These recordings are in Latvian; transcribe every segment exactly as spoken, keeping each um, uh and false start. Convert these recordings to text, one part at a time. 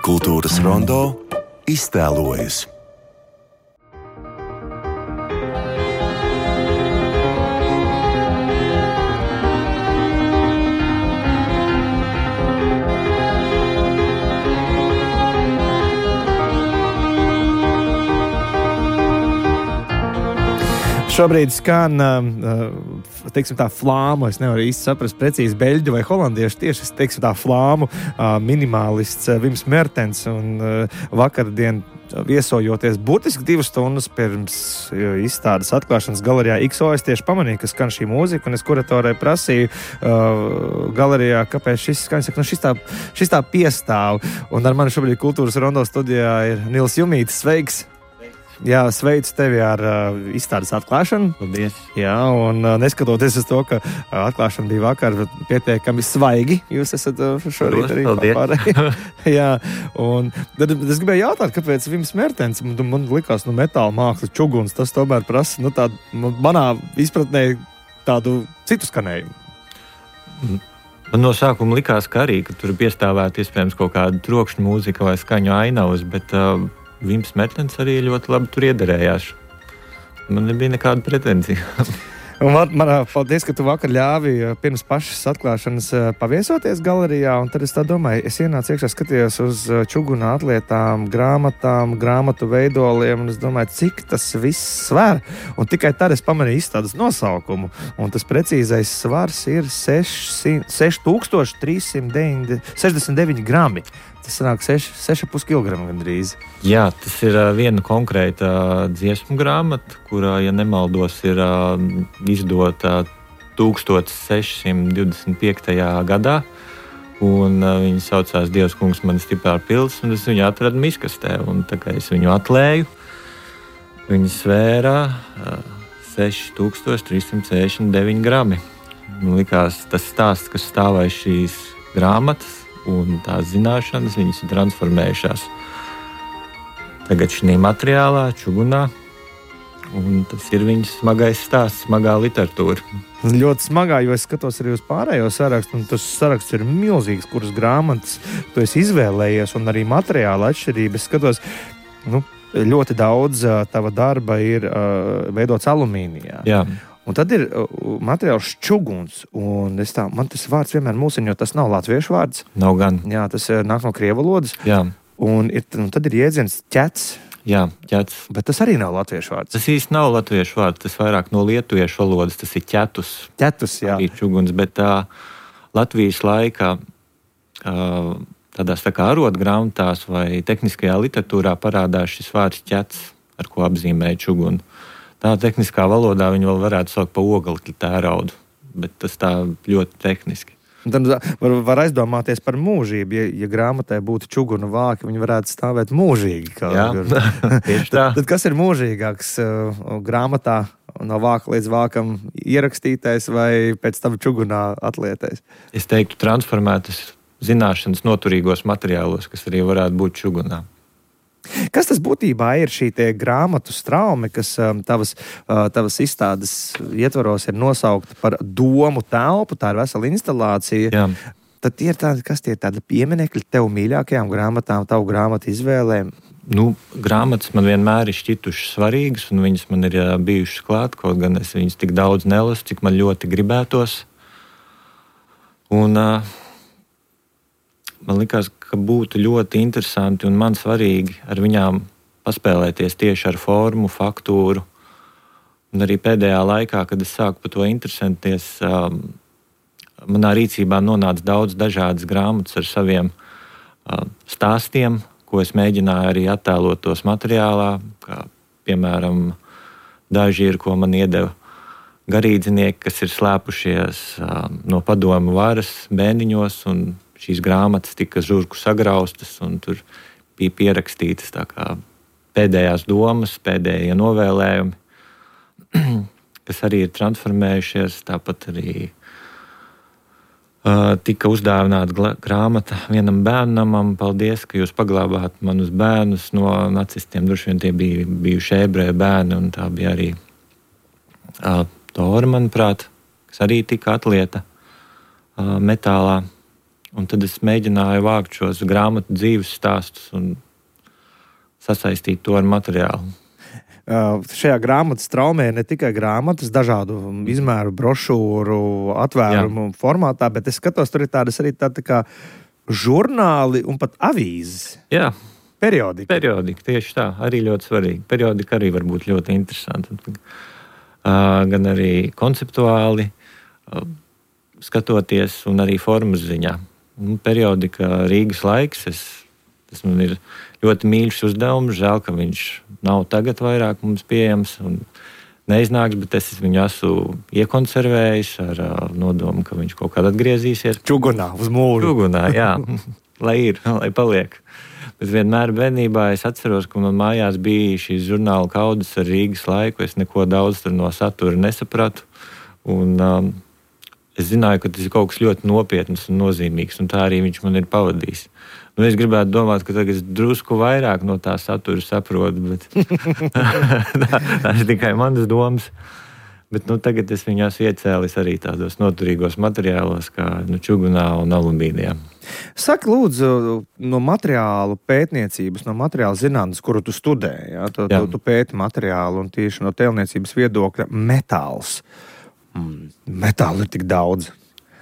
Kultūras rondo iztēlojas. Šobrīd skan, teiksim tā, flāmu. Es nevaru īsti saprast precīzi beļģu vai holandiešu. Tieši es teiksim tā flāmu minimālists Vims Mertens. Un vakardien viesojoties burtiski divas stundas pirms izstādes atklāšanas galerijā X O, es tieši pamanīju, ka skan šī mūzika. Un es kuratorai prasīju uh, galerijā, kāpēc šis skan. Saka, nu, šis, tā, šis tā piestāv. Un ar mani šobrīd Kultūras rondo studijā ir Nils Jumītis. Sveiks! Jā, sveicu tevi ar uh, izstādes atklāšanu. Paldies. Jā, un uh, neskatoties uz to, ka uh, atklāšana bija vakar pietiekami svaigi, jūs esat uh, šorīt arī pārējie. Jā, un tad es gribēju jautāt, kāpēc Vims Mertens, man, man likās, nu, metāla māksla, čuguns, tas tomēr prasa, nu, tādu, manā izpratnē tādu citu skanējumu. Man no sākuma likās, ka arī, ka tur piestāvētu iespējams kaut kāda trokšņa mūzika vai skaņu ainavas, bet uh, Vims Mertens arī ļoti labi tur iederējās. Man nebija nekāda pretenzija. Un man, man, paldies, ka tu vakar ļāvi pirms pašas atklāšanas paviesoties galerijā, un tad es tā domāju, es ienācu iekšā, skatījos uz čuguna atlietām, grāmatām, grāmatu veidoliem, un es domāju, cik tas viss sver. Un tikai tad es pamanīju izstādes nosaukumu, un tas precīzais svars ir seši tūkstoši trīs simti sešdesmit deviņi grami. Tas sanāk seši komats pieci kilogrami gandrīz. Jā, tas ir uh, viena konkrēta uh, dziesmu grāmata, kurā, ja nemaldos, ir uh, izdota tūkstoš seši simti divdesmit piektajā gadā. Un uh, viņa saucās Dievs kungs mani stiprā pils, un es viņu atradu miskastē. Un tā kā es viņu atlēju, viņa svērā uh, seši tūkstoši trīs simti sešdesmit deviņi grami. Man likās tas stāsts, kas stāvēja šīs grāmatas, un tās zināšanas, viņas ir transformējušās tagad šī materiālā, čugunā, un tas ir viņas smagais stāsts, smagā literatūra. Ļoti smagā, jo es skatos arī uz pārējo sarakstu, un tas saraksts ir milzīgs, kuras grāmatas tu esi izvēlējies, un arī materiāla atšķirības. Es skatos, nu, ļoti daudz tava darba ir uh, veidots alumīnijā. Jā. Un tad ir uh, materiāls čuguns, un es tā, man tas vārds vienmēr mulsina, jo tas nav latviešu vārds. Nav gan. Jā, tas uh, nāk no krievu valodas. Jā. Un, ir, un tad ir jēdziens ķets. Jā, ķets. Bet tas arī nav latviešu vārds. Tas īsti nav latviešu vārds, tas vairāk no lietuviešu valodas, tas ir ķetus. Ķetus, jā. Arī čuguns, bet tā Latvijas laikā uh, tādās tā kā arotgrāmatās vai tehniskajā literatūrā parādās šis vārds ķets, ar ko apzīmēja čugunu. Tā tehniskā valodā viņu vēl varētu saukt par oglekļa tēraudu, bet tas tā ļoti tehniski. Tad var, var aizdomāties par mūžību. Ja, ja grāmatai būtu čuguna vāki, viņi varētu stāvēt mūžīgi. Jā, tieši tā. Tad, tad kas ir mūžīgāks uh, grāmatā no vāka līdz vākam ierakstītais vai pēc tam čugunā atlietais? Es teiktu transformētas zināšanas noturīgos materiālos, kas arī varētu būt čugunā. Kas tas būtībā ir šī tie grāmatu straumi, kas um, tavas, uh, tavas izstādes ietvaros ir nosaukta par domu telpu, tā ir vesela instalācija. Jā. Tad tie ir tādi, kas tie ir tādi pieminekļi tev mīļākajām grāmatām, tavu grāmatu izvēlēm? Nu, grāmatas man vienmēr ir šķitušas svarīgas, un viņas man ir bijušas klāt, kaut gan es viņas tik daudz nelasu, cik man ļoti gribētos. Un uh, man likās, ka būtu ļoti interesanti un man svarīgi ar viņām paspēlēties tieši ar formu, faktūru. Un arī pēdējā laikā, kad es sāku par to interesēties, um, manā rīcībā nonāca daudz dažādas grāmatas ar saviem uh, stāstiem, ko es mēģināju arī attēlot tos materiālā, kā piemēram daži ir, ko man iedeva garīdzinieki, kas ir slēpušies uh, no padomu varas bēniņos, un šīs grāmatas tika žurku sagraustas, un tur bija pierakstītas tā kā pēdējās domas, pēdējie novēlējumi, kas arī ir transformējušies. Tāpat arī uh, tika uzdāvināta grāmata vienam bērnam. Paldies, ka jūs paglābāt manus bērnus no nacistiem. Droši vien tie bija bijuši ebreju bērni, un tā bija arī uh, Tora, manuprāt, kas arī tika atlieta uh, metālā. Un tad es mēģināju vākt šos grāmatu dzīves stāstus un sasaistīt to ar materiālu. Uh, šajā grāmatas traumē ir ne tikai grāmatas, dažādu izmēru, brošūru, atvērumu Jā. formātā, bet es skatos, tur ir tādas arī tāda kā žurnāli un pat avīzes. Jā. Periodika. Periodika, tieši tā, arī ļoti svarīgi. Periodika arī var būt ļoti interesanti. Uh, gan arī konceptuāli uh, skatoties un arī formas ziņā. Un periodika Rīgas laiks, es, tas man ir ļoti mīļš uzdevums, žēl, ka viņš nav tagad vairāk mums pieejams un neiznāks, bet es viņu esmu iekonservējis ar uh, nodomu, ka viņš kaut kad atgriezīsies. Čugunā, uz mūru. Čugunā, jā, lai ir, lai paliek. Bet vienmēr bērnībā es atceros, ka man mājās bija šīs žurnāla kaudzes ar Rīgas laiku. Es neko daudz no satura nesapratu. Un, um, es zināju, ka tas ir kaut kas ļoti nopietns un nozīmīgs, un tā arī viņš man ir pavadījis. Nu, es gribētu domāt, ka tagad es drusku vairāk no tā satura saprotu, bet tā, tā ir tikai manas domas. Bet nu, tagad es viņu esmu iecēlis arī tādos noturīgos materiālos, kā nu, čugunā un alumīnijā. Saki, lūdzu, no materiālu pētniecības, no materiāla zinātnes, kuru tu studēji, ja? tu, tu, tu pēti materiālu un tieši no tēlniecības viedokļa metāls. Mm, metālu ir tik daudz.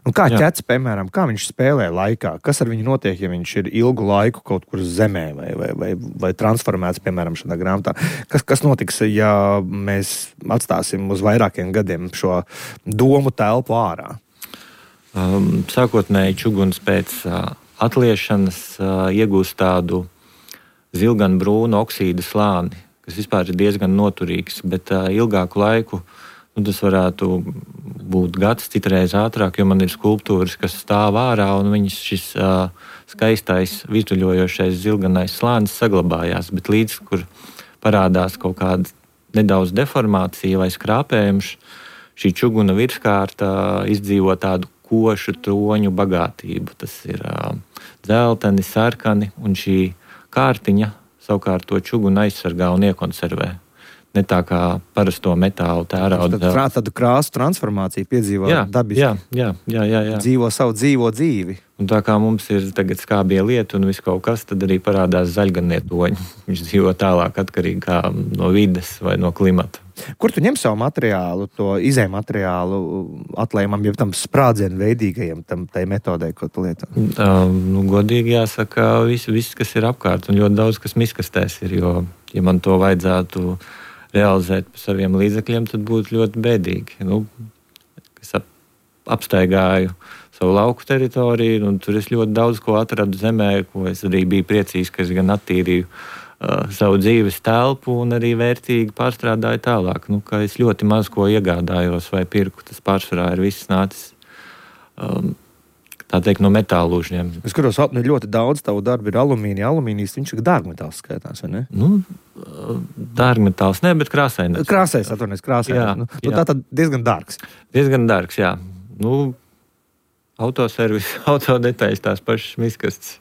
Un kā Jā. ķets, piemēram, kā viņš spēlē laikā? Kas ar viņu notiek, ja viņš ir ilgu laiku kaut kur zemē vai, vai, vai, vai transformēts, piemēram, šādā grāmatā? Kas, kas notiks, ja mēs atstāsim uz vairākiem gadiem šo domu telpu ārā? Um, sākotnēji čuguns pēc uh, atliešanas uh, iegūst tādu zilganbrūnu oksīda slāni, kas vispār ir diezgan noturīgs, bet uh, ilgāku laiku nu, tas varētu būt gads, citreiz ātrāk, jo man ir skulptūras, kas stāv ārā, un viņas šis uh, skaistais, virtuļojošais zilganais slānis saglabājās, bet līdz, kur parādās kaut kāda nedaudz deformācija vai skrāpējums, šī čuguna virskārta izdzīvo tādu košu troņu bagātību. Tas ir uh, dzelteni, sarkani, un šī kārtiņa savukārt to čugunu aizsargā un iekonservē. Ne tā kā parasto metālu tērauda. Tad tādu krāsu transformāciju piedzīvo jā, dabiski. Jā, jā, jā, jā, jā. Dzīvo savu dzīvo dzīvi. Un tā kā mums ir tagad skābie lieti un viss kaut kas, tad arī parādās zaļganie toņi. Viņš dzīvo tālāk atkarīgi kā no vides vai no klimata. Kur tu ņem savu materiālu, to izēju materiālu atlējumam, jau tam sprādzienu veidīgajam, tam tai metodei, ko tu lieto? Um, nu, godīgi jāsaka, viss, viss, kas ir apkārt, un ļoti daudz, kas miskastēs ir, jo, ja man to vajadzētu realizēt par saviem līdzekļiem, tad būtu ļoti bēdīgi. Nu, es ap, apstaigāju savu lauku teritoriju, un tur es ļoti daudz ko atradu zemē, ko es arī biju priecīgs, ka es gan attīrīju uh, savu dzīves telpu un arī vērtīgi pārstrādāju tālāk. Nu, ka es ļoti maz ko iegādājos vai pirku, tas pārsvarā ir viss nācis um, tā teikt no metālūžņiem. Es skatos, nu, ļoti daudz tavu darbu ir alumīnija. Alumīnijas, viņš ir dārgmetāls skaitās, vai ne? Nu, dārgmetāls, ne, bet krāsainais. Krāsais, atvainojies, krāsainais. Jā, nu, jā. Tā tad diezgan dārgs. Diezgan dārgs, jā. Nu, autoservis, autodetaļas tās pašas miskastes,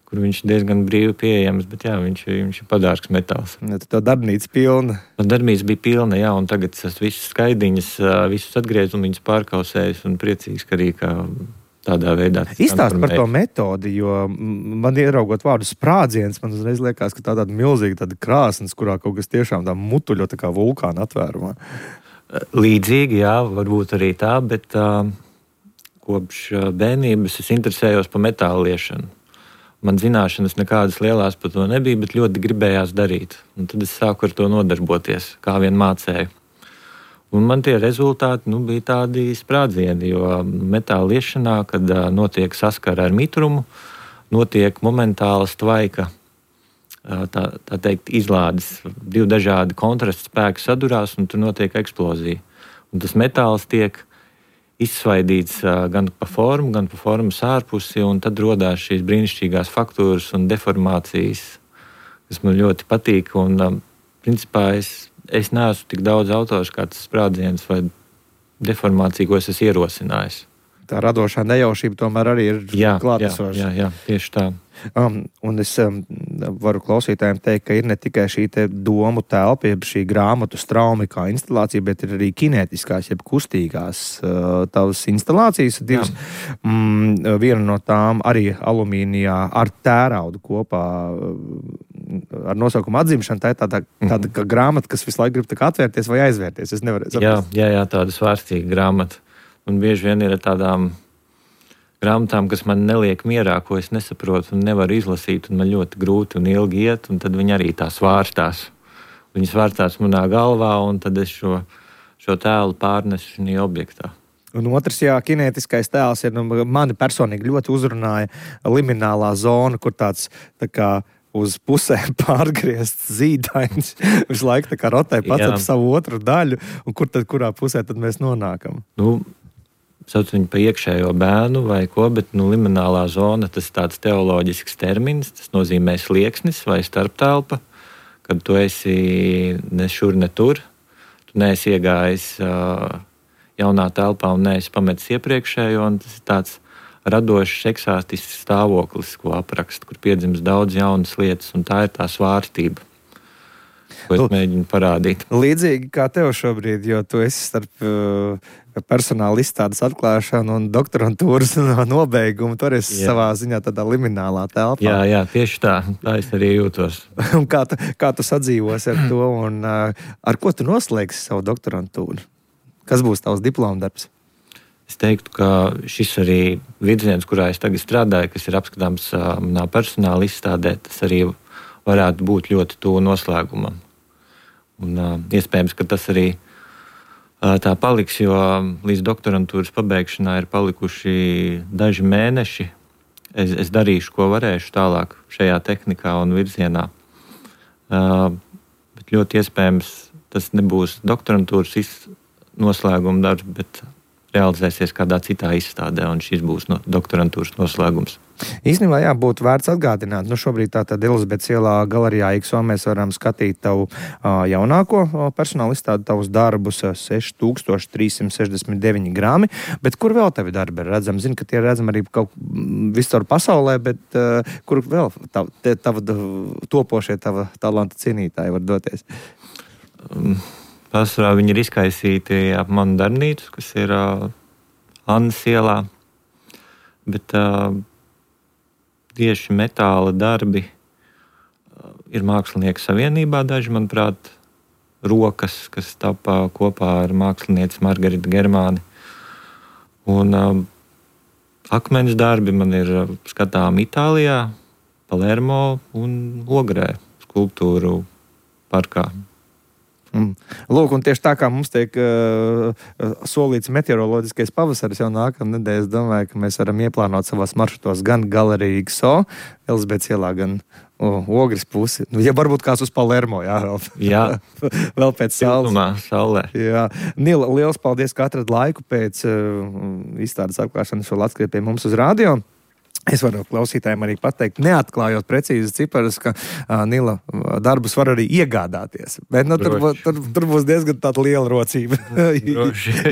kur viņš diezgan brīvi pieejams, bet jā, viņš, viņš ir padārgs metāls. Ja, tā darbnīca pilna. Tā darbnīca bija pilna, jā, un tagad es visas skaidiņas, visus atgriezu un viņus pārkausējis un priecīgs, ka arī kā tādā veidā. Izstāst par to metodi, jo man ieraugot vārdu sprādziens, man uzreiz liekas, ka tā tāda milzīga tāda krāsnes, kurā kaut kas tiešām tā mutuļo tā kā vulkāna atvērumā. Līdzīgi, jā, varbūt arī tā, bet uh, kopš bērnības es interesējos par metālu liešanu. Man zināšanas nekādas lielās par to nebija, bet ļoti gribējās darīt. Un tad es sāku ar to nodarboties, kā vien mācēju. Un man tie rezultāti nu, bija tādi sprādzieni, jo metāla liešanā, kad uh, notiek saskara ar mitrumu, notiek momentāla tvaika, uh, tā, tā teikt, izlādes. Divi dažādi kontrasta spēki sadurās, un tur notiek eksplozija. Un tas metāls tiek izsvaidīts uh, gan pa formu, gan pa formas ārpusi, un tad rodās šīs brīnišķīgās faktūras un deformācijas, kas man ļoti patīk. Un, uh, principā, es Es neesmu tik daudz autors kā tas sprādziens vai deformācija, ko es esmu ierosinājis. Tā radošā nejaušība tomēr arī ir jā, klātesoša. Jā, jā, jā, tieši tā. Um, un es um, varu klausītājiem teikt, ka ir ne tikai šī te domu telpa, jeb šī grāmatu straumi kā instalācija, bet ir arī kinētiskās, jeb kustīgās uh, tavas instalācijas. Divas, mm, viena no tām arī alumīnijā ar tēraudu kopā ar nosaukumu atzimšana. Tā ir tāda, tāda kā grāmata, kas visu laiku grib tā kā atvērties vai aizvērties. Es nevaru saprast. Jā, jā, jā, tāda svārstīga grāmata. Un bieži vien ir tādām grāmatām, kas man neliek mierā, ko es nesaprotu un nevaru izlasīt, un man ļoti grūti un ilgi iet, un tad viņi arī tā svārstās. Viņi svārstās manā galvā, un tad es šo, šo tēlu pārnesu šajā objektā. Un otrs, jā, kinētiskais tēls ir, nu, mani personīgi ļoti uzrunāja liminālā zona, kur tāds tā kā uz pusēm pārgriezts zīdains visu laiku tā kā rotē pats ap savu otru daļu, un kur tad, kurā pusē tad mēs nonākam? Nu, sauc viņu pa iekšējo bēnu vai ko, bet nu, liminālā zona, tas tāds teoloģisks termins, tas nozīmē slieksnis vai starptelpa, kad tu esi ne šur, ne tur, tu neesi iegājis uh, jaunā telpā un neesi pametis iepriekšējo, un tas ir tāds radošs, eksātisks stāvoklis, ko apraksta, kur piedzimst daudz jaunas lietas, un tā ir tā svārstība, ko es mēģinu parādīt. Līdzīgi kā tev šobrīd, jo tu esi starp uh, personāla izstādes atklāšanu un doktorantūras nobeigumu, tu esi jā. savā ziņā tādā liminālā telpā. Jā, jā, tieši tā, tā es arī jūtos. Un kā tu, kā tu sadzīvos ar to, un uh, ar ko tu noslēgsi savu doktorantūru? Kas būs tavs diplomdarbs? Es teiktu, ka šis arī virziens, kurā es tagad strādāju, kas ir apskatāms manā personāla izstādē, tas arī varētu būt ļoti tuvu noslēgumam. Un, uh, iespējams, ka tas arī uh, tā paliks, jo līdz doktorantūras pabeigšanā ir palikuši daži mēneši. Es, es darīšu, ko varēšu tālāk šajā tehnikā un virzienā. Uh, bet ļoti iespējams, tas nebūs doktorantūras noslēguma darbs, bet realizēsies kādā citā izstādē, un šis būs no doktorantūras noslēgums. Īstenībā, jā, būtu vērts atgādināt. Nu, šobrīd tātad Elizabetes ielā galerijā I K S O mēs varam skatīt tavu uh, jaunāko uh, personāla izstādi, tavus darbus uh, seši tūkstoši trīs simti sešdesmit deviņi grami, bet kur vēl tavi darbi ir redzami? Zinu, ka tie ir redzami arī kaut visur pasaulē, bet uh, kur vēl tava, tava topošie, tava talanta cienītāji var doties? Um. Pārsvarā viņi ir izkaisīti ap manu darbnīcu, kas ir uh, Annas ielā, bet uh, tieši metāla darbi uh, ir Mākslinieku savienībā daži, manuprāt, rokas, kas tapā kopā ar mākslinieci Margaritu Germāni. Un uh, akmens darbi man ir uh, skatām Itālijā, Palermo un Ogrē, skulptūru parkā. Mm. Lūk, un tieši tā kā mums tiek uh, solīts meteoroloģiskais pavasaris jau nākamā nedēļa, es domāju, ka mēs varam ieplānot savās maršrutos gan galeriju I K S O, Elizabetes ielā, gan uh, Ogres pusi. Ja varbūt kāds uz Palermo, jā, jā. vēl pēc saules. Siltumā, saulē. Jā. Nila, liels paldies, ka atrad laiku pēc uh, izstādes atklāšanas vēl atskriet pie mums uz radio. Es varu klausītājiem arī pateikt, neatklājot precīzi ciparus, ka uh, Nila darbus var arī iegādāties. Bet nu, tur, tur, tur būs diezgan tāda liela rocība.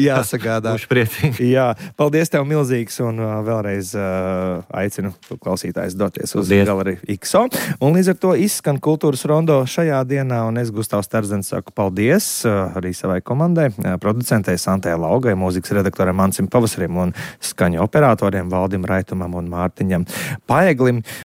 Jāsagādā. Būšu priecīgi. Jā, paldies tev milzīgs, un uh, vēlreiz uh, aicinu klausītājus doties uz paldies. Galeriju I K S O. Un līdz ar to izskan Kultūras rondo šajā dienā, un es, Gustavs Terzens, saku paldies uh, arī savai komandai, uh, producentei Santē Laugai, mūzikas redaktoram Mancim Pavasarim un skaņu operatoriem Valdim Raitumam un Mārtiņam Paeglim.